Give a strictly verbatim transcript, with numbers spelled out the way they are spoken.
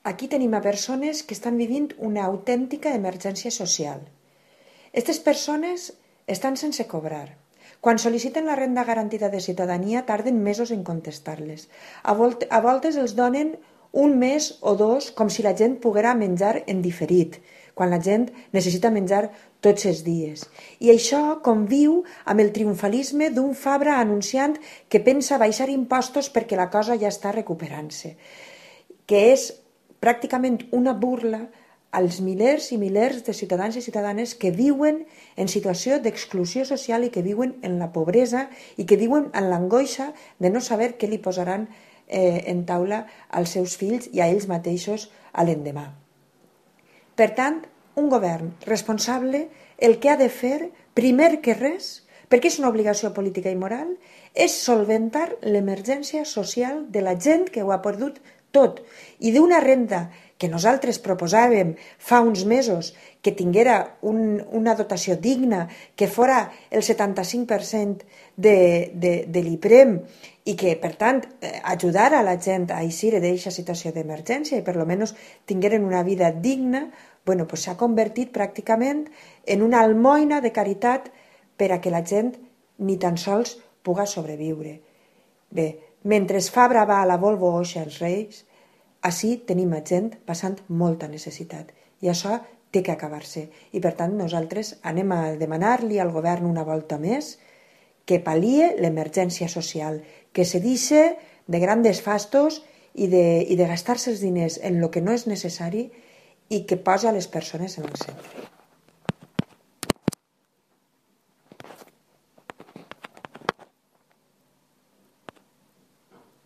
aquí tenim a persones que estan vivint una autèntica emergència social. Aquestes persones estan sense cobrar. Quan sol·liciten la renda garantida de ciutadania tarden mesos en contestar-les. A voltes els donen un mes o dos com si la gent poguera menjar en diferit, quan la gent necessita menjar tots els dies. I això conviu amb el triomfalisme d'un Fabra anunciant que pensa baixar impostos perquè la cosa ja està recuperant-se, que és pràcticament una burla als milers i milers de ciutadans i ciutadanes que viuen en situació d'exclusió social i que viuen en la pobresa i que viuen en l'angoixa de no saber què li posaran eh, en taula als seus fills i a ells mateixos a l'endemà. Per tant, un govern responsable el que ha de fer, primer que res, perquè és una obligació política i moral, és solventar l'emergència social de la gent que ho ha perdut tot i d'una renda que nosaltres proposàvem fa uns mesos que tinguera un, una dotació digna, que fora el setanta-cinc per cent de, de, de l'IPREM i que, per tant, ajudara a la gent a eixir d'aquesta situació d'emergència i per almenys tingueren una vida digna, bueno, pues s'ha convertit pràcticament en una almoina de caritat per a que la gent ni tan sols puga sobreviure. Bé, mentre Fabra va a la Volvo Oixa els Reis, ací tenim gent passant molta necessitat i això té que acabar-se. I per tant nosaltres anem a demanar-li al govern una volta més que pal·lie l'emergència social, que se deixe de grandes fastos i de, i de gastar-se els diners en el que no és necessari i que posa les persones en el centre.